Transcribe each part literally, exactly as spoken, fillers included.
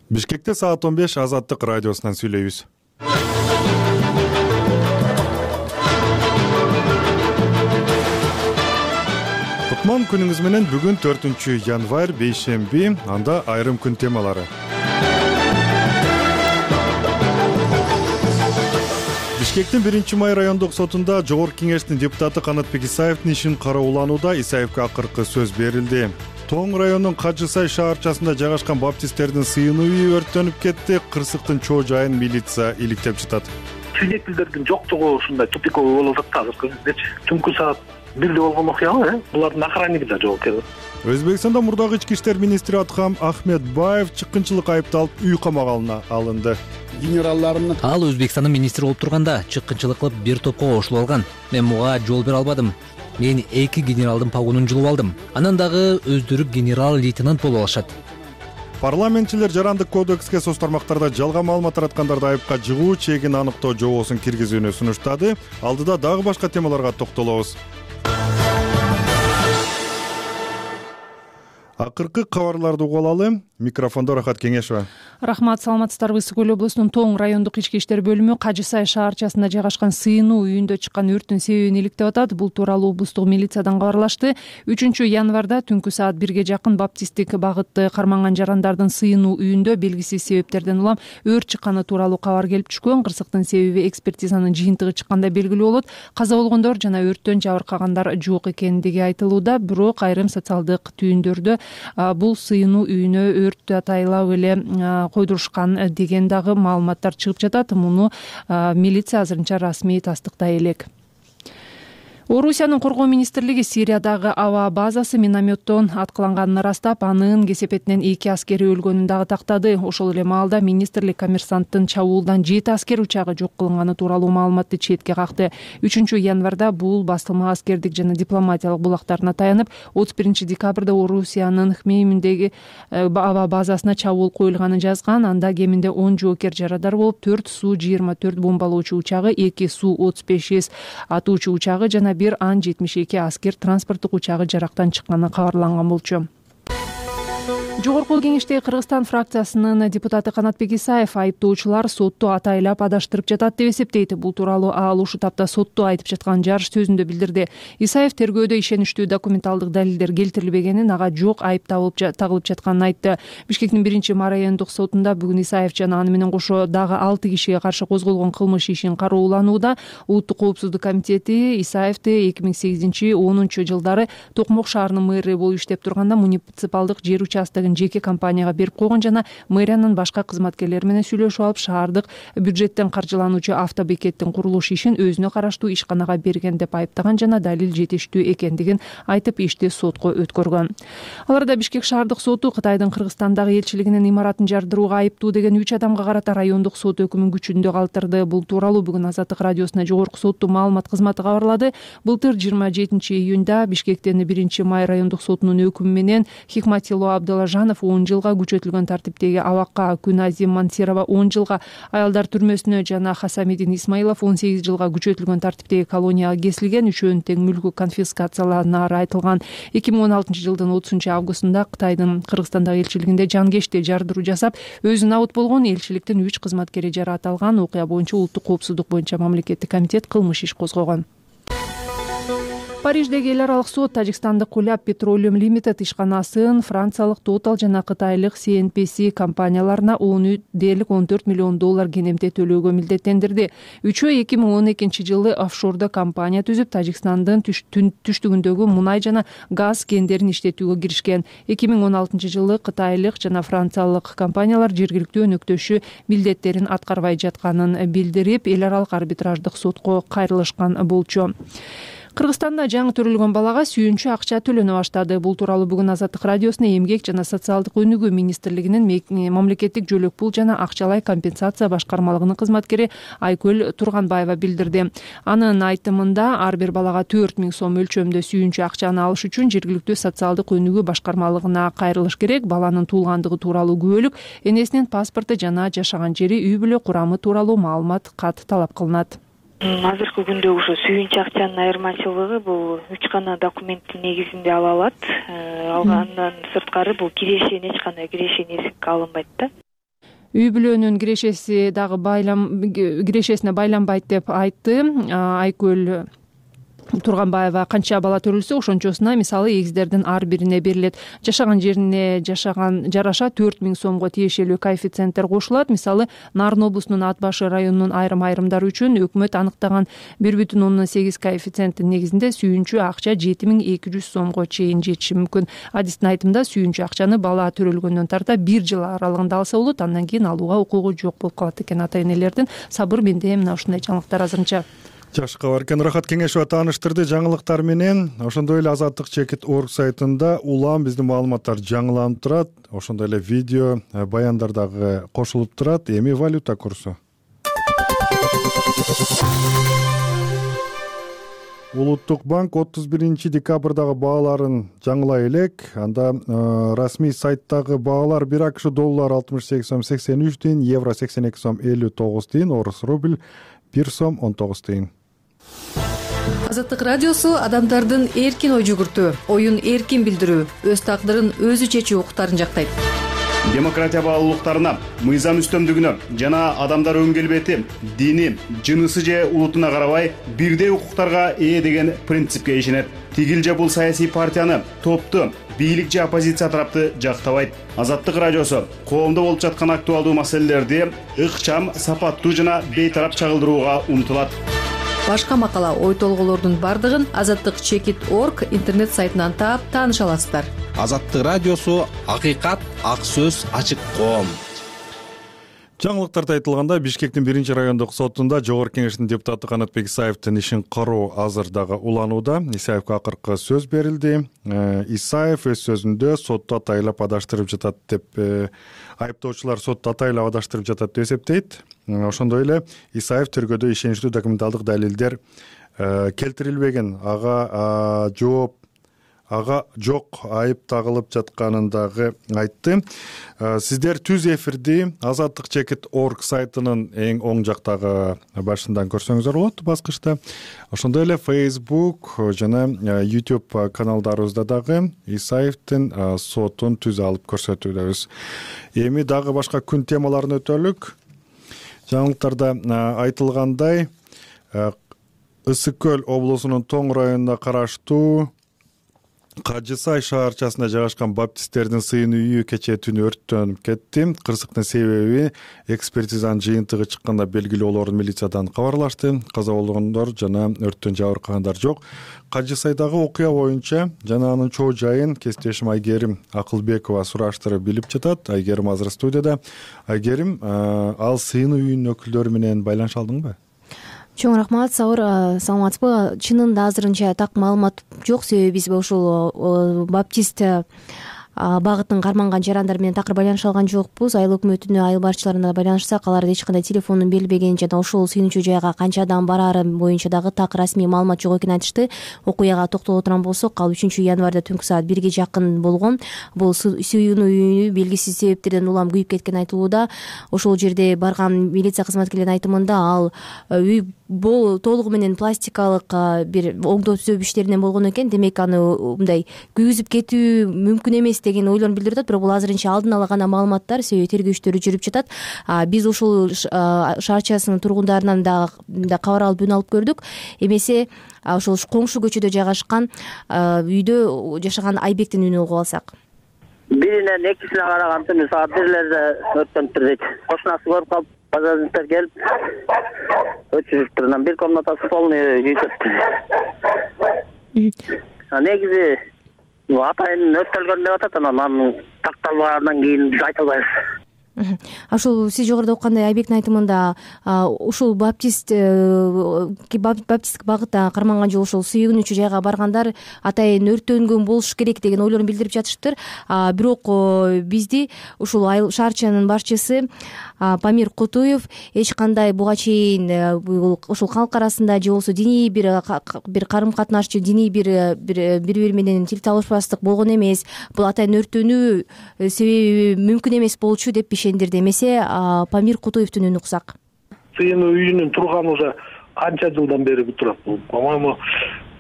Бишкекте саат он беш Азаттык радиосунан сүйлөйбүз. Кутман күнүңүз менен. Бүгүн төртүнчү январь бейшемби, анда айрым күн темалары. Бишкектин биринчи май райондук сотунда Жогорку Кеңештин депутаты Канатбек Исаевдин ишин карооланууда Исаевге акыркы сөз берилди. Тоң районунун Кажысай шаарчасында жайгашкан баптисттердин сыйынуу үйү өрттөнүп кетти. Кырсыктын чоо жайын милиция иликтеп жатат. Свидетелдердин жоктугу ушундай тупиковый болуп атат азыркы кездечи. Түнкү саат бирде болгон окуя, булардын охранниги да жок экен. Өзбекстанда мурдагы ички иштер министри Атхам Ахмедбаев чыккынчылык айыпталып үй камагына алынды. Генералларымны ал Өзбекстандын министри болуп турганда чыккынчылык кылып бир топко кошулуп алган. Мен буга жол бере албадым. Мен эки генералдын погонун жулуп алдым. Анан дагы өздөрү генерал-лейтенант болуп алышат. Парламентчилер жарандык кодекске соц тармактарда жалган маалымат тараткандарды айыпка жыгуу чегин аныктоо жобосун киргизүүнү сунуштады. Алдыда дагы башка темаларга токтолобуз. Акыркы кабарларды угуп алалы. Микрофондо Рахат Кеңешова. Рахмат, саламатсыздарбы. Ысык Көл облусунун Тоң райондук ички иштер бөлүмү Кажысай шаарчасында жайгашкан сыйынуу үйүндө чыккан өрттүн себебин иликтеп атат. Бул тууралуу облустук милициядан кабарлашты. үчүнчү январда түнкү саат бирге жакын баптисттик багытты карманган жарандардын сыйынуу үйүндө белгисиз себептерден улам өрт чыкканы тууралуу кабар келип түшкөн. Кырсыктын себеби экспертизанын жыйынтыгы чыкканда белгилүү болот. Каза болгондор жана өрттөн жабыркагандар жок экендиги айтылууда. Бирок айрым социалдык түйүндөрдө бул сыйынуу үйүнө өрттү атайлап эле койдурушкан деген дагы маалыматтар чыгып жатат. Муну милиция азырынча расмий тастыктай элек. Орусиянын коргоо министрлиги Сириядагы аба базасы минометтон аткыланганын ырастап, анын кесепетинен эки аскери өлгөнүн дагы тактады. Ошол эле маалда министрлик коммерсанттын чабуулдан жети аскер учагы жок кылынганы тууралуу маалыматты четке какты. үчүнчү январда бул басылма аскердик жана дипломатиялык булактарына таянып, отуз биринчи декабрда Орусиянын Хмейминдеги аба базасына чабуул коюлганын жазган. Анда кеминде он жоокер жарадар болуп, төрт Су жыйырма төрт бомбалоочу учагы, эки Су отуз беш эс атуучу учагы жана бир Ан жетимиш эки аскер транспорттук учагы жарактан чыкканы кабарланган болчу. Жогорку Кеңештеги Кыргызстан фракциясынын депутаты Канатбек Исаев айыптоочулар сотту атайлап адаштырып жатат деп эсептейт. Бул тууралуу ал ушул тапта сотту айтып жаткан жарыш сөзүндө билдирди. Исаев тергөөдө ишеничтүү документалдык далилдер келтирилбегенин, ага жок айып тагылып жатканын айтты. Бишкектин биринчи май райондук сотунда бүгүн Исаев жана аны менен кошо дагы алты кишиге каршы козголгон кылмыш ишин карооланууда. Улуттук коопсуздук комитети Исаевди эки миң сегизинчи онунчу жылдары Токмок шаарынын мэри болуп иштеп турганда муниципалдык жер участогун жеке компанияга берип койгон жана мэриянын башка кызматкерлери менен сүйлөшүп алып, шаардык бюджеттен каржылануучу автобекеттин курулуш ишин өзүнө караштуу ишканага берген деп айыптаган жана далил жетиштүү экендигин айтып, ишти сотко өткөргөн. Аларда Бишкек шаардык соту Кытайдын Кыргызстандагы элчилигинин имаратын жардырууга айыптуу деген үч адамга карата райондук сот өкүмүн күчүндө калтырды. Бул тууралуу бүгүн Азаттык радиосуна Жогорку соттун маалымат кызматы кабарлады. Былтыр жыйырма жетинчи июнда Бишкектин биринчи май райондук сотунун өкүмү менен Хикматило Абдалажанов он жылга, күчөтүлгөн тартиптеги Авакка Күназим Мансирова он жылга, аялдар түрмөсүнө жана Хасамидин Исмаилов он сегиз жылга күчөтүлгөн тартиптеги колонияга кесилген. Үчөөнүн тең мүлкү конфискацияланары айтылган. эки миң он алтынчы жылдын отузунчу августунда Кытайдын Кыргызстандагы элчилигинде жангечти жардыруу жасап, өзү набыт болгон элчиликтин үч кызматкери жараат алган. Окуя боюнча Улуттук коопсуздук боюнча мамлекеттик комитет кылмыш иш козгогон. Париждеги эл аралык сот тажикстандык Куляб Petroleum Limited ишканасын франциялык Total жана кытайлык Си Эн Пи Си компанияларына он төрт миллион доллар кенемте төлөөгө милдеттендирди. Үчөө эки миң он экинчи жылы офшордо компания түзүп, Тажикстандын түштүгүндөгү мунай жана газ кендерин иштетүүгө киришкен. эки миң он алтынчы жылы кытайлык жана франциялык компаниялар жергиликтүү өнөктөшү милдеттерин аткарбай жатканын билдирип, эл аралык арбитраждык сотко кайрылышкан болчу. Кыргызстанда жаңы төрөлгөн балага сүйүнчү акча төлөнө баштады. Бул тууралуу бүгүн Азаттык радиосуна Эмгек жана социалдык өнүгүү министрлигинин мамлекеттик жөлөк пул жана акчалай компенсация башкармалыгынын кызматкери Айкөл Турганбаева билдирди. Анын айтымында ар бир балага төрт миң сом өлчөмдө сүйүнчү акчаны алыш үчүн жергиликтүү социалдык өнүгүү башкармалыгына кайрылыш керек. Баланын туулгандыгы тууралуу күбөлүк, энесинин паспорту жана жашаган жери, үй бүлө курамы тууралуу маалымат кат талап кылынат. Азыркы күндө ошо сүйүнчү акчанын айырмачылыгы бул үч гана документтин негизинде ала алат. Алгандан сырткары бул кирешен эч кандай кирешен эсепке алынбайт да. үй бүлөнүн кирешеси дагы байлам кирешесине байланбайт деп айтты. Айкөл Турганбаева канча бала төрөлсө ошончосуна мисалы эгиздердин ар бирине берилет. Жашаган жерине жашаган жараша төрт миң сомго тиешелүү коэффициенттер кошулат. Мисалы Нарын облусунун Ат башы районунун айрым айрымдары үчүн өкмөт анықтаган бир бүтүн ондон сегиз коэффициенттин негизинде сүйүнчү акча жети миң эки жүз сомго чейин жетиши мүмкүн. Адистин айтымында сүйүнчү акчаны бала төрөлгөндөн тарта бир жыл аралыгында алса болот, андан кийин алууга укугу жок болуп калат экен ата энелердин. Сабыр, менде мына ушундай жаңылыктар азырынча. Жашка баркен Рахат Кеңешова тааныштырды жаңылыктар менен. Ошондой эле азаттык чекит точка орг сайтында улам биздин маалыматтар жаңыланып турат. Ошондой эле видео баяндар дагы кошулуп турат. Эми валюта курсу. Улуттук банк отуз биринчи декабрдагы бааларын жаңылай элек. Анда э, расмий сайттагы баалар бир акш доллар алтымыш сегиз сом сексен үч тиын, евро сексен эки сом элүү тогуз тиын, орус рубль бир сом он тогуз тиын. Азаттык радиосу адамдардын эркин ой жүгүртүү, оюн эркин билдирүү, өз тагдырын өзү чечүү укуктарын жактайт. Демократия баалуулуктарына, мыйзам үстөмдүгүнө жана адамдар өң келбети, дини, жынысы же улутуна карабай бирдей укуктарга ээ деген принципке ишенет. Тигил же бул саясий партияны, топту, бийлик же оппозиция тарапты жактабайт. Азаттык радиосу коомдо болуп жаткан актуалдуу маселелерди ыкчам, сапаттуу жана бейтарап чагылдырууга умтулат. Башка макала, ой толгоолордун бардыгын азаттык чекит точка орг интернет сайтынан таап тааныша аласыздар. Азаттык радиосу акыйкат, ак сөз, ачык коом. Жаңылыктарда айтылганда, Бишкектин биринчи райондук сотунда Жогорку Кеңештин депутаты Канатбек Исаевдин ишин кароо азыр дагы уланууда. Исаевге акыркы сөз берилди. Исаев өз сөзүндө сотту атайлап адаштырып жатат деп, айыптоочулар сотту атайлап адаштырып жатат деп эсептейт. Ошондой эле Исаев тергөөдө ишеничтүү документалдык далилдер келтирилбеген, ага жооп ага жок айып тагылып жатканын дагы айтты. Сиздер түз эфирди азаттык чекит точка орг сайтынын эң оң жактагы башынан көрсөңүздөр болот баскычта. Ошондой эле Facebook жана YouTube каналдарыбызда дагы Исаевдин сотун түз алып көрсөтүүбүз. Эми дагы башка күн темаларын өтөлүк. Жаңылыктарда айтылгандай, Ысык көл облусунун Тоң районуна караштуу Кажысай шаарчасында жайгашкан баптисттердин сыйын үйү кечээ түнү өрттөнүп кетти. Кырсыктын себеби экспертизанын жыйынтыгы чыкканда белгилүү болоорун милициядан кабарлашты. Каза болгондор жана өрттөн жабыркагандар жок. Кажысайдагы окуя боюнча жана анын чоо жайын кесиптешим Айгерим Акылбекова сураштырып билип жатат. Айгерим азыр студияда. Айгерим, ал сыйын үйүнүн өкүлдөрү менен байланыша алдыңбы? Чоң рахмат, Саур, саламатсызбы? Чынында азырынча так маалымат жок, себеби биз ушул баптист багытын карманган жарандар менен такыр байланыша алган жокпуз. Айыл өкмөтүнө, айыл башчыларына байланышсак, алар эч кандай телефондун берилбегенин жана ошол сыйынуучу жайга канча адам бараары боюнча дагы так расмий маалымат жок экенин айтышты. Окуяга токтоло турган болсок, ал үчүнчү январда түнкү саат бирге жакын болгон. Бул сыйынуу үйү белгисиз себептерден улам күйүп кеткени айтылууда. Ошол жерде барган милиция кызматкерлеринин айтымында ал үй бул толугу менен пластикалык бир оңдоо түзөө иштеринен болгон экен. Демек аны мындай күйгүзүп кетүү мүмкүн эмес деген ойлорун билдирип атат. Бирок бул азырынча алдын ала гана маалыматтар, себеби тергөө иштери жүрүп жатат. Биз ушул шаарчасынын тургундарынан да кабар алып үн алып көрдүк. Эмесе ошол коңшу көчөдө жайгашкан үйдө жашаган Айбектин үнүн угуп алсак. Биринен экисине караган түнү саат бирлерде өрттөнүптүр дейт. Кошунасы көрүп калып, пожарниктер келип өчүрүптүр. Анан бир комнатасы полный күйүптүр. Негизи атайын өрттөлгөн деп атат, анан такталгандан кийин биз айта албайбыз. Ошол сиз жогоруда окугандай Айбектин айтымында ушул баптист баптисттик багытта карманган жол ошол сыйынуучу жайга баргандар атайын өрттөнгөн болуш керек деген ойлорун билдирип жатыштыр. Бирок бизди ушул айыл шаарчанын башчысы Памир Кутуев эч кандай буга чейин ушул калк арасында же болбосо диний бир бир карым катнашчы, диний бир бири бири менен тил табышпастык болгон эмес, бул атайын өрттөнүү себеби мүмкүн эмес болчу деп ишендирди. Эмесе Памир Кутуевдин үнүн уксак. Сыйынуу үйүнүн турганы уже канча жылдан бери турат бул. По-моему,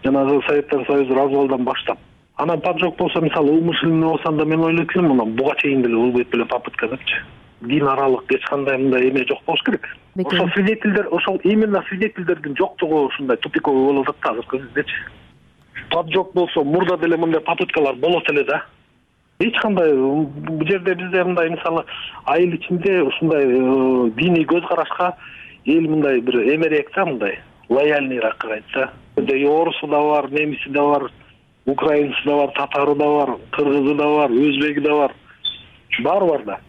жанагы Советтер Союзу развалдан баштап. Анан пап жок болсо, мисалы, умышленный болсом да мен ойлойт элем, мына буга чейин деле улбайт беле попытка депчи. дин аралык эч кандай мындай эме жок болуш керек. Ошол свидетельдер, ошол именно свидетельдердин жоктугу ушундай тупиковый болуп атат азыркы кездечи. Поджог болсо мурда деле мындай попыткалар болот эле да. Эч кандай бул жерде бизде мындай мисалы айыл ичинде ушундай диний көз карашка эл мындай бир эмерээк да, мындай лояльныйраак айтса. Орусу да бар, немиси да бар, украинцы да бар, татары да бар, кыргызы да бар, өзбеги да бар. Баары бар да.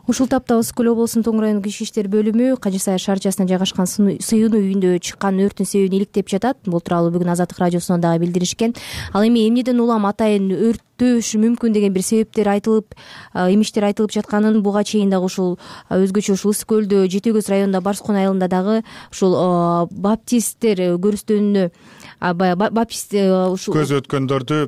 Ушул тапта Ысык көл облусунун Тоң районундук ички иштер бөлүмү Кажы Сай шаарчасына жайгашкан сыйынуу үйүндө чыккан өрттүн себебин иликтеп жатат. Бул тууралуу бүгүн Азаттык радиосунан дагы билдиришкен. Ал эми эмнеден улам атайын өрттөшү мүмкүн деген бир себептер айтылып, эмиштер айтылып жатканын буга чейин дагы ушул өзгөчө ушул Ысык көлдө Жети көз районунда Барскон айылында дагы ушул баптисттер көрүстөнүнө баптист ушул көз өткөндөрдү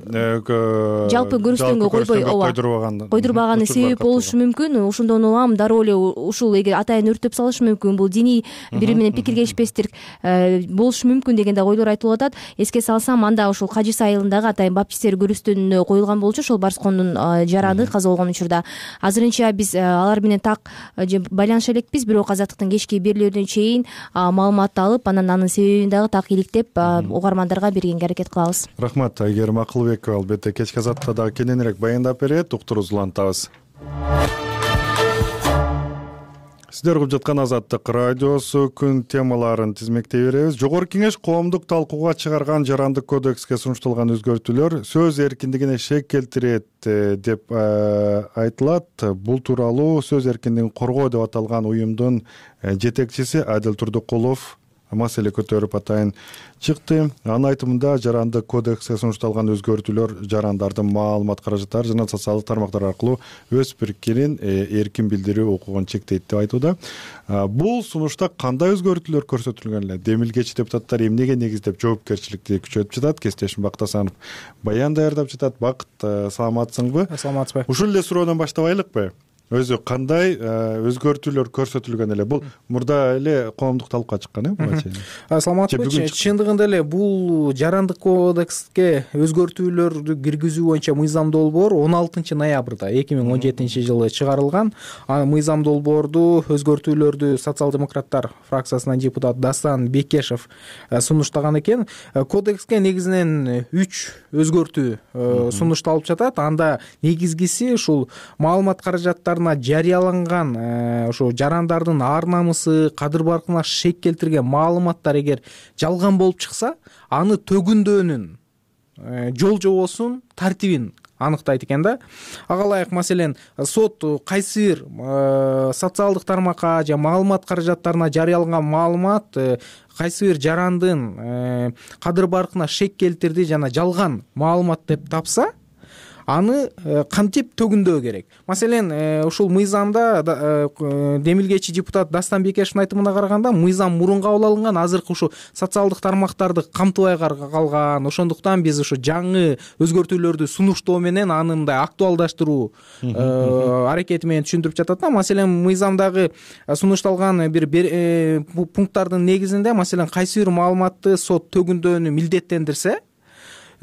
жалпы көрүстөнгө койбой койдурбаган койдурбаганы себеп болушу мүмкүн. Ошондон улам дароо эле ушул эгер атайын өрттөп салышы мүмкүн, бул диний бири менен пикир келишпестик болушу мүмкүн деген дагы ойлор айтылып атат. Эске салсам, анда ушул Кажы Сай айылындагы атайын баптисттер көрүстөнүнө коюлган болчу ошол Барскондун жараны каза болгон учурда. Азырынча биз алар менен так байланыша элекпиз, бирок Азаттыктын кечки берүүлөрүнөн чейин маалыматты алып, анан анын себебин дагы так иликтеп угармандарга бергенге аракет кылабыз. Рахмат. Айгерим Акылбекова албетте кечки Азаттыкта дагы кененирээк баяндап берет. Уктуруубузду улантабыз. Сиздер угуп жаткан Азаттык радиосу күн темаларын тизмектей беребиз. Жогорку кеңеш коомдук талкууга чыгарган жарандык кодекске сунушталган өзгөртүүлөр сөз эркиндигине шек келтирет деп айтылат. Бул тууралуу сөз эркиндигин коргоо деп аталган уюмдун жетекчиси Адил Турдукулов маселе көтөрүп атайын чыкты. Анын айтымында жарандык кодекске сунушталган өзгөртүүлөр жарандардын маалымат каражаттары жана социалдык тармактар аркылуу өз пикирин эркин билдирүү укугун чектейт деп айтууда. Бул сунушта кандай өзгөртүүлөр көрсөтүлгөн эле? Демилгечи депутаттар эмнеге негиздеп жоопкерчиликти күчөтүп жатат? Кесиптешим Бактасанов баян даярдап жатат. Бакыт, саламатсыңбы? Саламатсызбы? Ушул эле суроодон баштабайлыкпы? Өзү кандай өзгөртүүлөр көрсөтүлгөн эле? Бул мурда эле коомдук талкууга чыккан э буга чейин. Саламатсызбы? Чындыгында эле бул жарандык кодекске өзгөртүүлөрдү киргизүү боюнча мыйзам долбоор он алтынчы ноябрда эки миң он жетинчи жылы чыгарылган. Мыйзам долбоорду өзгөртүүлөрдү социал-демократтар фракциясынан депутат Дастан Бекешев сунуштаган экен. Кодекске негизинен үч өзгөртүү сунушталып жатат. Анда негизгиси ушул маалымат каражаттары жарыяланган ошо жарандардын ар намысы, кадыр-баркына шек келтирген маалыматтар эгер жалган болуп чыкса, аны төгүндөөнүн жол жобосун, тартибин аныктайт экен да. Ага ылайык маселен сот кайсы бир социалдык тармакка же маалымат каражаттарына жарыяланган маалымат кайсы бир жарандын кадыр-баркына шек келтирди жана жалган маалымат деп тапса, аны кантип төгүндөө керек. Маселен, ушул мыйзамда демилгечи депутат Дастан Бекешевдин айтымына караганда, мыйзам мурун кабыл алынган, азыркы ушу социалдык тармактарды камтыбай калган. Ошондуктан биз ушу жаңы өзгөртүүлөрдү сунуштоо менен аны мындай актуалдаштыруу аракети менен түшүндүрүп жатат да. Маселен, мыйзамдагы сунушталган бир пункттардын негизинде, маселен, кайсы бир маалыматты сот төгүндөөнү милдеттендирсе,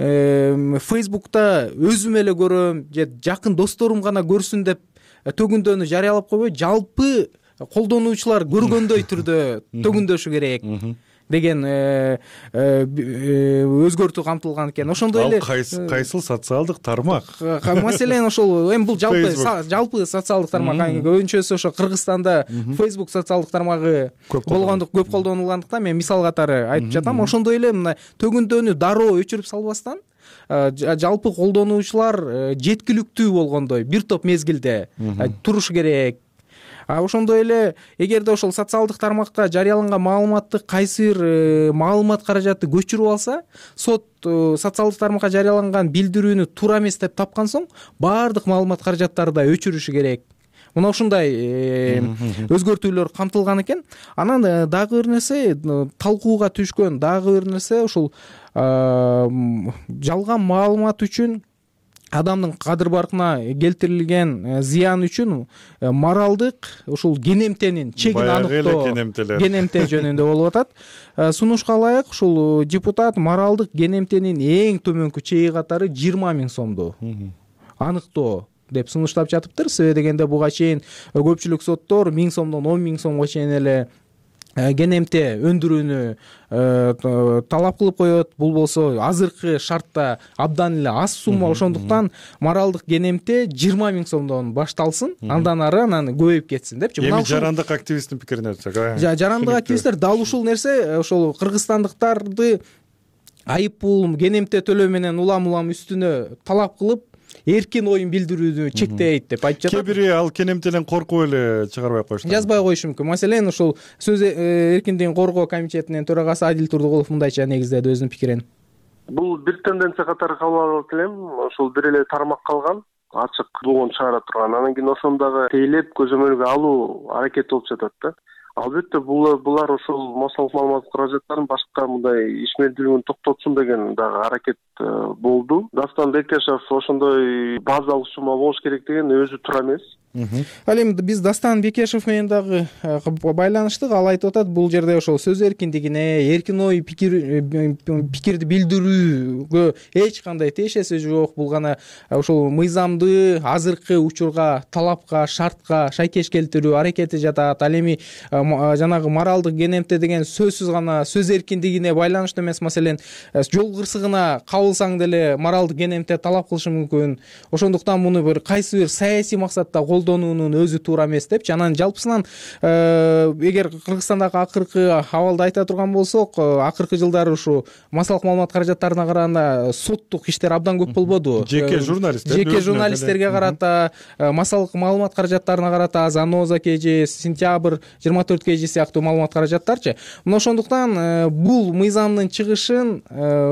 Фейсбукта өзүм эле көрөм же жакын досторум гана көрсүн деп төгүндөөнү жарыялап койбой, жалпы колдонуучулар көргөндөй түрдө төгүндөшү керек деген өзгөртүү камтылган экен. Ошондой эле кайсыл социалдык тармак? Маселен, ошол эми бул жалпы жалпы социалдык тармак. Көбүнчөсү ошо Кыргызстанда Facebook социалдык тармагы болгондук, көп колдонулгандыктан мен мисал катары айтып жатам. Ошондой эле мына төгүндөөнү дароо өчүрүп салбастан, жалпы колдонуучулар жеткиликтүү болгондой бир топ мезгилде туруш керек. Ошондой эле эгерде ошол социалдык тармакта жарыяланган маалыматты кайсы бир маалымат каражаты көчүрүп алса, сот социалдык тармакка жарыяланган билдирүүнү туура эмес деп тапкан соң, баардык маалымат каражаттары да өчүрүшү керек. Мына ушундай өзгөртүүлөр камтылган экен. Анан дагы бир нерсе, талкууга түшкөн дагы бир нерсе, ушул жалган маалымат үчүн адамдын кадыр-баркына келтирилген зыян үчүн моралдык ушул кенемтенин чегин аныктоо, кенемте жөнүндө болуп атат. Сунушка ылайык ушул депутат моралдык кенемтенин эң төмөнкү чеги катары жыйырма миң сомду аныктоо деп сунуштап жатыптыр. Себеби дегенде буга чейин көпчүлүк соттор миң сомдон он миң сомго чейин эле кенемте өндүрүүнү талап кылып коет. Бул болсо азыркы шартта абдан эле аз сумма, ошондуктан моралдык кенемте жыйырма миң сомдон башталсын, андан ары анан көбөйүп кетсин депчи. Эми жарандык активисттин пикирине өтсөк, жарандык активисттер дал ушул нерсе ошол кыргызстандыктарды айыппул кенемте төлөө менен улам улам үстүнө талап кылып эркин оюн билдирүүнү чектейт деп айтып жатат. Кээ бири ал кенемтеден коркуп эле чыгарбай коюшту. Жазбай коюшу мүмкүн. Маселен, ушул сөз эркиндигин коргоо комитетинин төрагасы Адил Турдугулов мындайча негиздеди өзүнүн пикирин. Бул бир тенденция катары кабыл алып элем. Ошол бир эле тармак калган, ачык болгон чыгара турган. Анан кийин ошону дагы тейлеп көзөмөлгө алуу аракети болуп жатат да. Албетте бул булар ошол массалык маалымат каражаттарын башка мындай ишмердүүлүгүн токтотсун деген дагы аракет болду. Дастан Бекешев ошондой базалык сума болуш керек деген өзү туура эмес. Ал эми биз Дастан Бекешев менен дагы байланыштык. Ал айтып атат, бул жерде ошол сөз эркиндигине, эркин ой пикир пикирди билдирүүгө эч кандай тиешеси жок. Бул гана ошол мыйзамды азыркы учурга, талапка, шартка шайкеш келтирүү аракети жатат. Ал эми жанагы моралдык кенемте деген сөзсүз гана сөз эркиндигине байланыштуу эмес. Маселен, жол кырсыгына кабылсаң деле моралдык кенемте талап кылышы мүмкүн. Ошондуктан муну бир кайсы бир саясий максатта колдонуунун өзү туура эмес депчи. Анан жалпысынан эгер Кыргызстандагы акыркы абалды айта турган болсок, акыркы жылдары ушу массалык маалымат каражаттарына караганда соттук иштер абдан көп болбоду. Жеке журналисттер жеке журналисттерге карата, массалык маалымат каражаттарына карата Заноза кж, Сентябрь жыйырма төрт кж сыяктуу маалымат каражаттарчы. Мына ошондуктан бул мыйзамдын чыгышын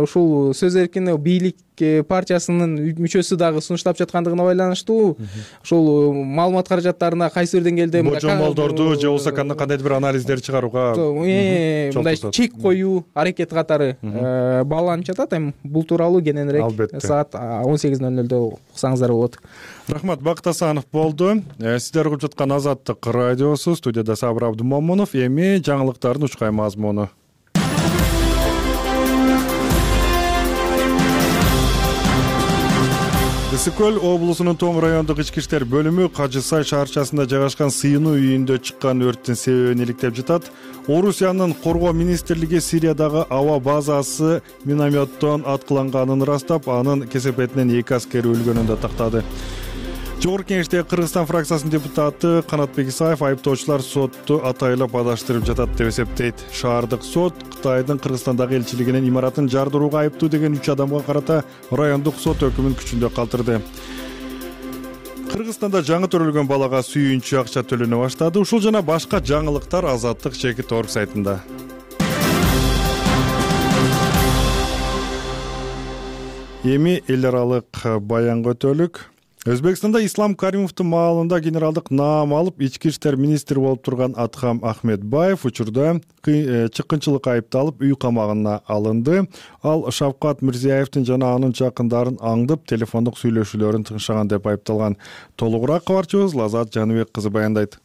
ушул сөз эркиндиги бийлик партиясынын мүчөсү дагы сунуштап жаткандыгына байланыштуу ошол маалымат каражаттарына кайсы бир деңгээлде божомолдорду же болбосо кандайдыр бир анализдер чыгарууга мындай чек коюу аракети катары бааланып жатат. Эми бул тууралуу кененирээк саат он сегиз ноль нолдо уксаңыздар болот. Рахмат, Бакыт Асанов болду. Сиздер угуп жаткан Азаттык радиосу, студияда Сабыр Абдумомунов. Эми жаңылыктардын учкай мазмуну. Ысык көл облусунун Тоң райондук ички иштер бөлүмү Кажы Сай шаарчасында жайгашкан сыйынуу үйүндө чыккан өрттүн себебин иликтеп жатат. Орусиянын коргоо министрлиги Сириядагы аба базасы минометтон аткыланганын ырастап, анын кесепетинен эки аскери өлгөнүн да тактады. Жогорку Кеңештеги Кыргызстан фракциясынын депутаты Канатбек Исаев айыптоочулар сотту атайлап адаштырып жатат деп эсептейт. Шаардык сот Кытайдын Кыргызстандагы элчилигинин имаратын жардырууга айыптуу деген үч адамга карата райондук сот өкүмүн күчүндө калтырды. Кыргызстанда жаңы төрөлгөн балага сүйүнчү акча төлөнө баштады. Ушул жана башка жаңылыктар Азаттык Чекит орг сайтында. Эми эл аралык баянга өтөлүк. Өзбекстанда Ислам Каримовдун маалында генералдык наам алып, ички иштер министри болуп турган Атхам Ахметбаев учурда чыккынчылыкка айыпталып, үй камагына алынды. Ал Шавкат Мирзиеевдин жана анын жакындарын аңдып, телефондук сүйлөшүүлөрүн тыңшаган деп айыпталган. Толугураак кабарчыбыз Лазат Жаныбек кызы баяндайт.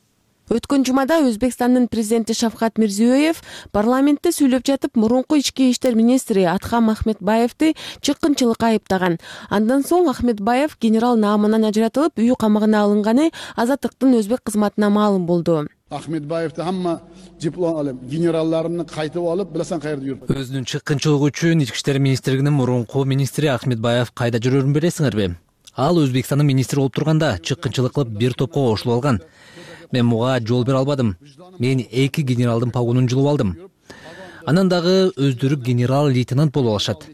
Өткөн жумада Өзбекстандын президенти Шавкат Мирзиёев парламентте сүйлөп жатып, мурунку ички иштер министри Атхам Ахметбаевди чыккынчылыкка айыптаган. Андан соң Ахметбаев генерал наамынан ажыратылып, үй камагына алынганы Азаттыктын өзбек кызматына маалым болду. Ахметбаевди хамма диплом алып, генералларын кайтып алып, билесең кайерде жүрүп. Өзүнүн чыккынчылыгы үчүн ички иштер министрлигинин мурунку министри Ахметбаев кайда жүрөрүн билесиңерби? Ал Өзбекстандын министри болуп турганда чыккынчылык кылып бир топко кошулуп алган. Мен буга жол бере албадым. Мен эки генералдын погонун жулуп алдым. Анан дагы өздөрү генерал лейтенант болуп алышат.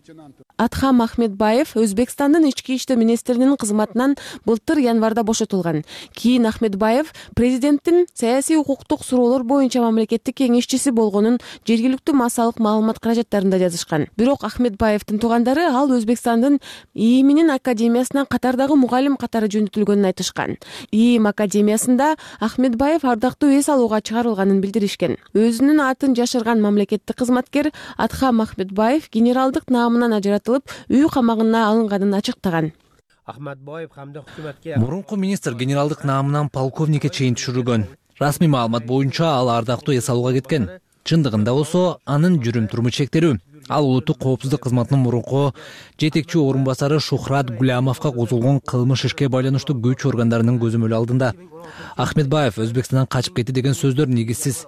Атхам Ахметбаев Өзбекстандын ички иштер министринин кызматынан былтыр январда бошотулган. Кийин Ахметбаев президенттин саясий укуктук суроолор боюнча мамлекеттик кеңешчиси болгонун жергиликтүү массалык маалымат каражаттарында жазышкан. Бирок Ахметбаевдин туугандары ал Өзбекстандын ИИМинин академиясынан катардагы мугалим катары жөнөтүлгөнүн айтышкан. ИИМ академиясында Ахметбаев ардактуу эс алууга чыгарылганын билдиришкен. Өзүнүн атын жашырган мамлекеттик кызматкер Атхам Ахметбаев генералдык наамынан ажыратылып, үй камагына алынганын ачыктаган. Мурунку министр генералдык наамынан полковникке чейин түшүрүлгөн. Расмий маалымат боюнча ал ардактуу эс алууга кеткен. Чындыгында болсо анын жүрүм турмуш чектелүү. ал улуттук коопсуздук кызматынын мурунку жетекчи орун басары Шухрат Гулямовго козголгон кылмыш ишке байланыштуу күч органдарынын көзөмөлү алдында. Ахмедбаев Өзбекстандан качып кетти деген сөздөр негизсиз.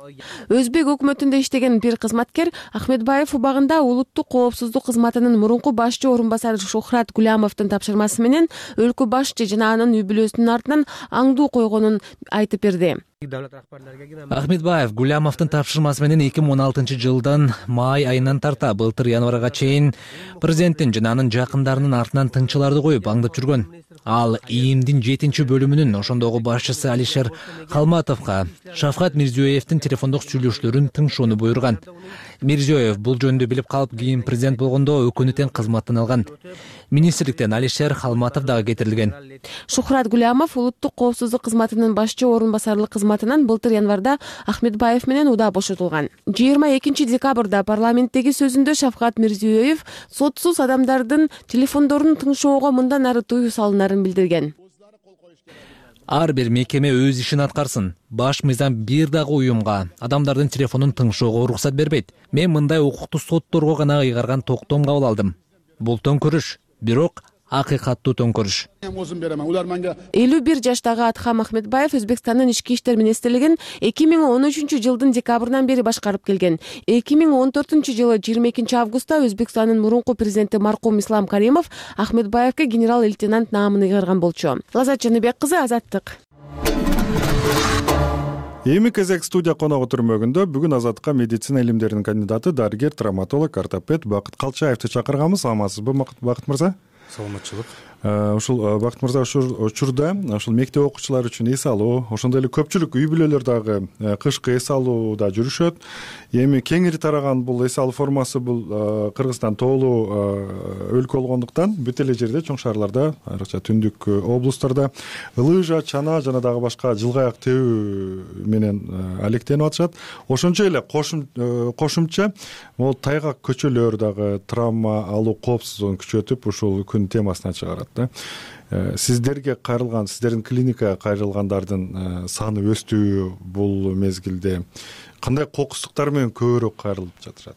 Өзбек өкмөтүндө иштеген бир кызматкер Ахмедбаев убагында улуттук коопсуздук кызматынын мурунку башчы орун басары Шухрат Гулямовдун тапшырмасы менен өлкө башчы жана анын үй бүлөсүнүн артынан аңдуу койгонун айтып берди. Ахмедбаев Гулямовдун тапшырмасы менен эки миң он алтынчы жылдын май айынан тарта былтыр январга чейин президенттин жана анын жакындарынын артынан тыңчыларды коюп аңдып жүргөн. Ал ИИМдин жетинчи бөлүмүнүн ошондогу башчысы Алишер Халматовго Шавкат Мирзиёевдин телефондук сүйлөшүүлөрүн тыңшоону буйруган. Мирзиёев бул жөнүндө билип калып, кийин президент болгондо өкүнү тең кызматтан алган. Министрликтен Алишер Халматов дагы кетирилген. Шухрат Гулямов улуттук коопсуздук кызматынын башчы орун басарлык кызматынан былтыр январда Ахмедбаев менен удаа бошотулган. жыйырма экинчи декабрда парламенттеги сөзүндө Шавкат Мирзиёев сотсуз адамдардын телефондорун тыңшоого мындан ары тыюу салынарын билдирген. Ар бир мекеме өз ишин аткарсын. Баш мыйзам бир дагы уюмга адамдардын телефонун тыңшоого уруксат бербейт. Мен мындай укукту сотторго гана ыйгарган токтом кабыл алдым. Бул төңкөрүш, бирок акыйкаттуу төңкөрүш. элүү бир жаштагы Атхам Ахмедбаев Өзбекстандын ички иштер министрлигин эки миң он үчүнчү жылдын декабрынан бери башкарып келген. эки миң он төртүнчү жылы жыйырма экинчи августта Өзбекстандын мурунку президенти маркум Ислам Каримов Ахмедбаевге генерал-лейтенант наамын ыйгарган болчу. Лазат Жаныбек кызы, Азаттык. Эми кезек студия коногу түрмөгүндө бүгүн Азаттыкка медицина илимдеринин кандидаты, дарыгер, травматолог, ортопед Бакыт Калчаевди чакырганбыз. Амансызбы, Бакыт мырза? Саламатчылык. Ушул Бакыт мырза ушул учурда ушул мектеп окуучулары үчүн эс алуу, ошондой эле көпчүлүк үй бүлөлөр дагы кышкы эс алууда жүрүшөт. Эми кеңири тараган бул эс алуу формасы бул Кыргызстан тоолуу өлкө болгондуктан бүт эле жерде, чоң шаарларда, айрыкча түндүк облустарда лыжа, чана жана дагы башка жылгаяк тебүү менен алектенип атышат. Ошончо эле кошумча могул тайгак көчөлөр дагы травма алуу коопсуздугун күчөтүп ушул күн темасына чыгарат. Сиздерге кайрылган, сиздердин клиникага кайрылгандардын саны өстүбү бул мезгилде? Кандай кокустуктар менен көбүрөөк кайрылып жатышат?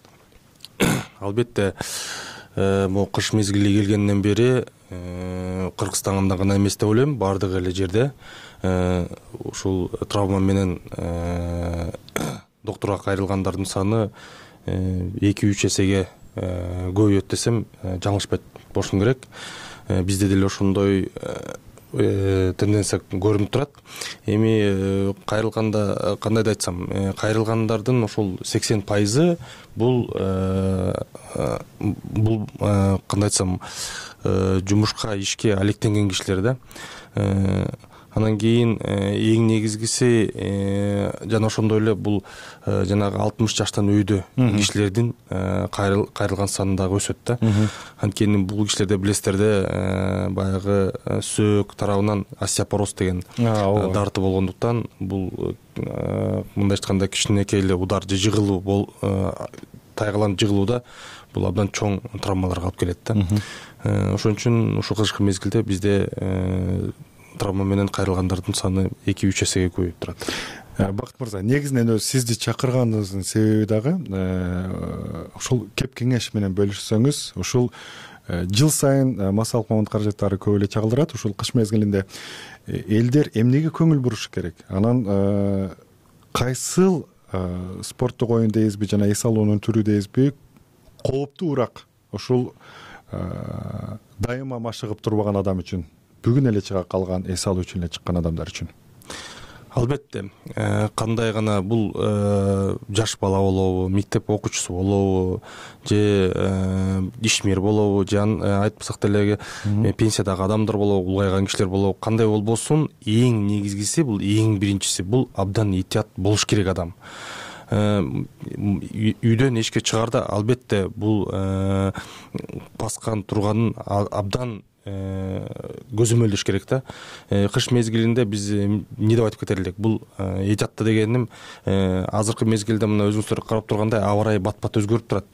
Албетте, могу кыш мезгили келгенден бери Кыргызстанда гана эмес деп ойлойм, баардык эле жерде ушул травма менен доктурга кайрылгандардын саны эки үч эсеге көбөйөт десем жаңылышпайт болушум керек. Бизде деле ошондой тенденция көрүнүп турат. Эми кайрылганда кандайда айтсам, кайрылгандардын ошол сексен пайызы бул бул кандай айтсам, жумушка, ишке алектенген кишилер да. Анан кийин эң негизгиси жана ошондой эле бул жанагы алтымыш жаштан өйдө кишилердин кайрылган саны дагы өсөт да. Анткени бул кишилерде билесиздер да, баягы сөөк тарабынан остеопороз деген дарты болгондуктан бул мындай айтканда кичинекей эле удар же жыгылуу бол тайгаланып жыгылууда бул абдан чоң травмаларга алып келет да. Ошон үчүн ушул кышкы мезгилде бизде травма менен кайрылгандардын саны эки үч эсеге көбөйүп турат. Бакыт мырза, негизинен өзү сизди чакырганыбыздын себеби дагы ушул кеп кеңеш менен бөлүшсөңүз. Ушул жыл сайын массалык мамлекеттик каражаттары көп эле чагылдырат. Ушул кыш мезгилинде элдер эмнеге көңүл бурушу керек? Анан кайсыл спорттук оюн дейбизби жана эс алуунун түрү дейбизби кооптуураак ушул дайыма машыгып турбаган адам үчүн, бүгүн эле чыга калган эс алуу үчүн эле чыккан адамдар үчүн? Албетте, кандай гана бул жаш бала болобу, мектеп окуучусу болобу, же ишмер болобу, же айтпасак деле пенсиядагы адамдар болобу, улгайган кишилер болобу, кандай болбосун, эң негизгиси бул, эң биринчиси бул абдан этият болуш керек адам. Үйдөн эшикке чыгаарда албетте бул баскан турганын абдан көзөмөлдөш керек да. Кыш мезгилинде биз эмне деп айтып кетер элек? Бул этиятты дегеним азыркы мезгилде мына өзүңүздөр карап тургандай аба ырайы бат-бат өзгөрүп турат.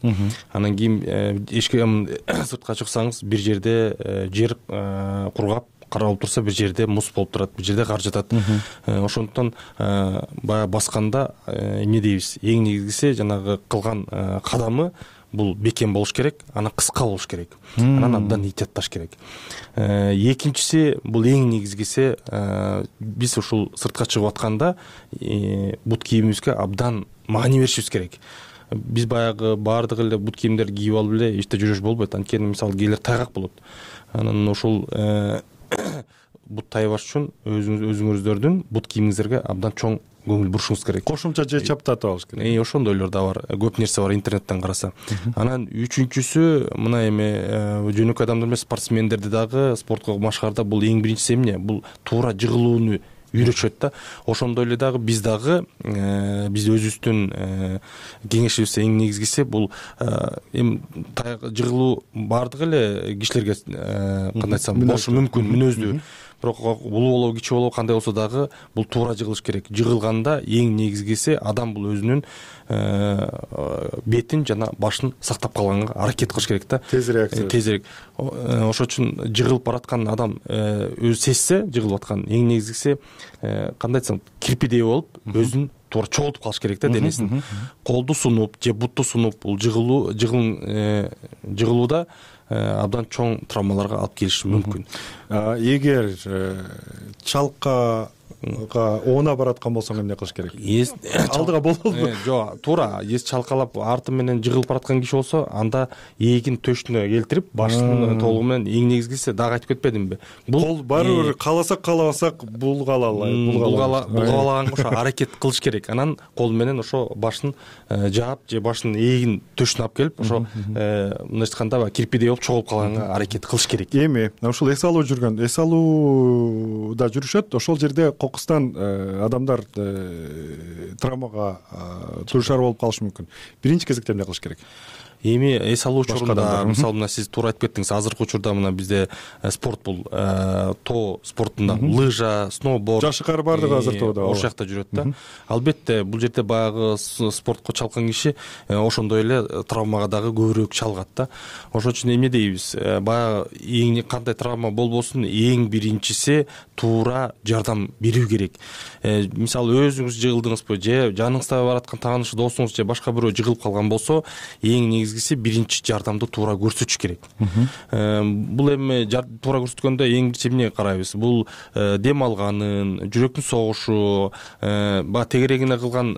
Анан кийин эшикке сыртка чыксаңыз бир жерде жер кургап каралып турса, бир жерде муз болуп турат, бир жерде кар жатат. Ошондуктан баягы басканда эмне дейбиз? Эң негизгиси жанагы кылган кадамы бул бекем болуш керек, анан кыска болуш керек, анан абдан ыйтятташ керек. Экинчиси бул эң негизгиси, биз ушул сыртка чыгып атканда бут кийимибизге абдан маани беришибиз керек. Биз баягы баардык эле бут кийимдерди кийип алып эле ичте жүрүш болбойт. Анткени мисалы кээделер тайгак болот. Анан ушул бут тайбаш үчүн өзүңүздөрдүн бут кийимиңиздерге абдан чоң көңүл бурушуңуз керек. Кошумча же чаптатып алыш керек. Ошондойлор да бар. Көп нерсе бар интернеттен караса. Анан үчүнчүсү мына эми жөнөкөй адамдар эмес, спортсмендерди дагы спортко машыгаарда бул эң биринчиси эмне? Бул туура жыгылууну үйрөтүшөт да. Ошондой эле дагы биз дагы биз өзүбүздүн кеңешибиз эң негизгиси бул эми жыгылуу баардык эле кишилерге кандай айтсам болушу мүмкүн, мүнөздүү. Бирок улуу болобу, кичи болобу, кандай болсо дагы бул туура жыгылыш керек. Жыгылганда эң негизгиси адам бул өзүнүн бетин жана башын сактап калганга аракет кылыш керек да. Тезирээк. Тезирээк. Ошон үчүн жыгылып бараткан адам өзү сезсе, жыгылып аткан эң негизгиси кандай айтсам, кирпидей болуп, өзүн туура чогултуп калыш керек да денесин. Колду сунуп же бутту сунуп бул жыгылуу жыгылууда абдан чоң травмаларга алып келиши мүмкүн. Эгер чалкка оона бараткан болсоң эмне кылыш керек? Алдыга болобу? Жок, туура эс чалкалап арты менен жыгылып бараткан киши болсо, анда эгин төшүнө келтирип, башынын толугу менен эң негизгиси дагы айтып кетпедимби? Бул баары бир кааласак каалабасак булгалалай, булгалаганга ошо аракет кылыш керек. Анан кол менен ошо башын жаап же башынын эгин төшүнө алып келип, ошо мындайча айтканда кирпидей болуп чогулуп калганга аракет кылыш керек. Эми ушул эс алуу жүргөн, эс алууда жүрүшөт, ошол жерде кокустан адамдар травмага дуушар болуп калышы мүмкүн. Биринчи кезекте эмне кылыш керек? Эми эс алуу учурунда, мисалы мына сиз туура айтып кеттиңиз, азыркы учурда мына бизде спорт бул тоо спортунда лыжа, сноуборд, жашыкар бардыгы азыр тоодо ошол жакта жүрөт да. Албетте бул жерде баягы спортко чалкан киши ошондой эле травмага дагы көбүрөөк чалгат да. Ошон үчүн эмне дейбиз? Баягы эң кандай травма болбосун, эң биринчиси туура жардам берүү керек. Мисалы өзүңүз жыгылдыңызбы же жаныңызда бараткан тааныш досуңуз же башка бирөө жыгылып калган болсо, эң негизгиси биринчи жардамды туура көрсөтүш керек. Бул эми туура көрсөткөндө эң биринчи эмне карайбыз? Бул дем алганын, жүрөктүн согушу, баягы тегерегине кылган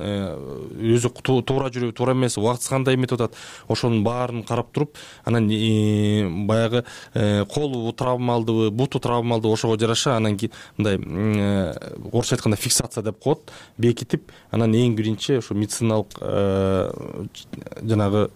өзү туура жүрөбү, туура эмес, убактысы кандай эметип атат, ошонун баарын карап туруп, анан баягы колу травмалдыбы, буту травмалдыбы ошого жараша анан мындай орусча айтканда фиксация деп коет, бекитип, анан эң биринчи ошо медициналык жанагы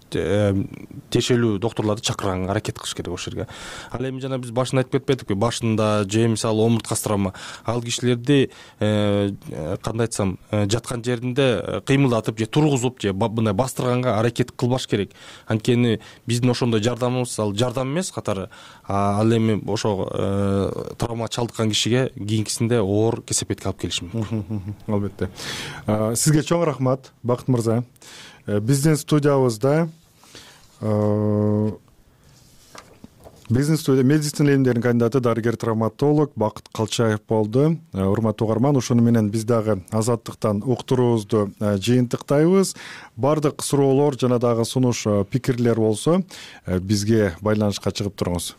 тиешелүү доктурларды чакырганга аракет кылыш керек ошол жерге. Ал эми жана биз башында айтып кетпедикпи, башында же мисалы омурткасы травма, ал кишилерди кандай айтсам, жаткан жеринде кыймылдатып же тургузуп же мындай бастырганга аракет кылбаш керек. Анткени биздин ошондой жардамыбыз ал жардам эмес катары, ал эми ошо травма чалдыккан кишиге кийинкисинде оор кесепетке алып келиши мүмкүн. Албетте. Сизге чоң рахмат, Бакыт мырза. Биздин студиябызда Бизнес студия медицина илимдеринин кандидаты, дарыгер-травматолог Бакыт Калчаев болду. Урматтуу угарман, ошону менен биз дагы Азаттыктан уктуруубузду жыйынтыктайбыз. Бардык суроолор жана дагы сунуш пикирлер болсо бизге байланышка чыгып туруңуз.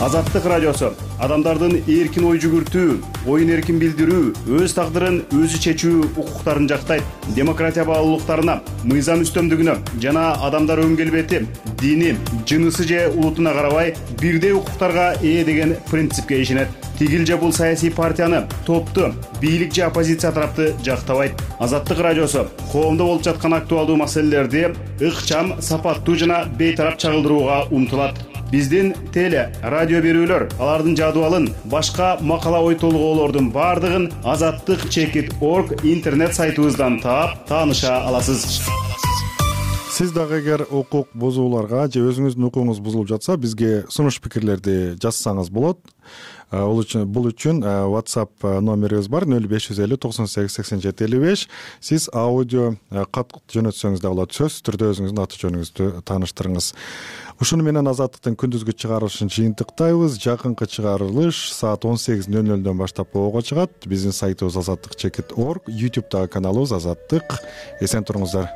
Азаттык радиосу адамдардын эркин ой жүгүртүү, оюн эркин билдирүү, өз тагдырын өзү чечүү укуктарын жактайт. Демократия баалуулуктарына, мыйзам үстөмдүгүнө жана адамдар өн келбети, дини, жынысы же улутуна карабай бирдей укуктарга ээ деген принципке ишенет. Тигил же бул саясий партияны, топту, бийлик же оппозиция тарапты жактабайт. Азаттык радиосу коомдо болуп жаткан актуалдуу маселелерди ыкчам, сапаттуу жана бейтарап чагылдырууга умтулат. Биздин теле, радио берүүлөр, алардын жадыбалын, башка макала ой толгоолордун бардыгын азаттык чекит точка орг интернет сайтыбыздан таап, тааныша аласыз. Сиз дагы эгер укук бузууларга же өзүңүздүн укугуңуз бузулуп жатса, бизге сунуш пикирлерди жазсаңыз болот. Бул үчүн бул үчүн WhatsApp номерибиз бар нөл беш жүз элүү токсон сегиз сексен жети элүү беш. Сиз аудио кат жөнөтсөңүз да болот. Сөзсүз түрдө өзүңүздүн аты жөнүңүздү тааныштырыңыз. Ушуну менен Азаттыктын күндүзгү чыгарылышын жыйынтыктайбыз. Жакынкы чыгарылыш саат он сегиз нөл нөлдөн баштап ого чыгат. Биздин сайтыбыз азаттык чекит точка орг, YouTube'дагы каналыбыз Азаттык. Эсен туруңуздар.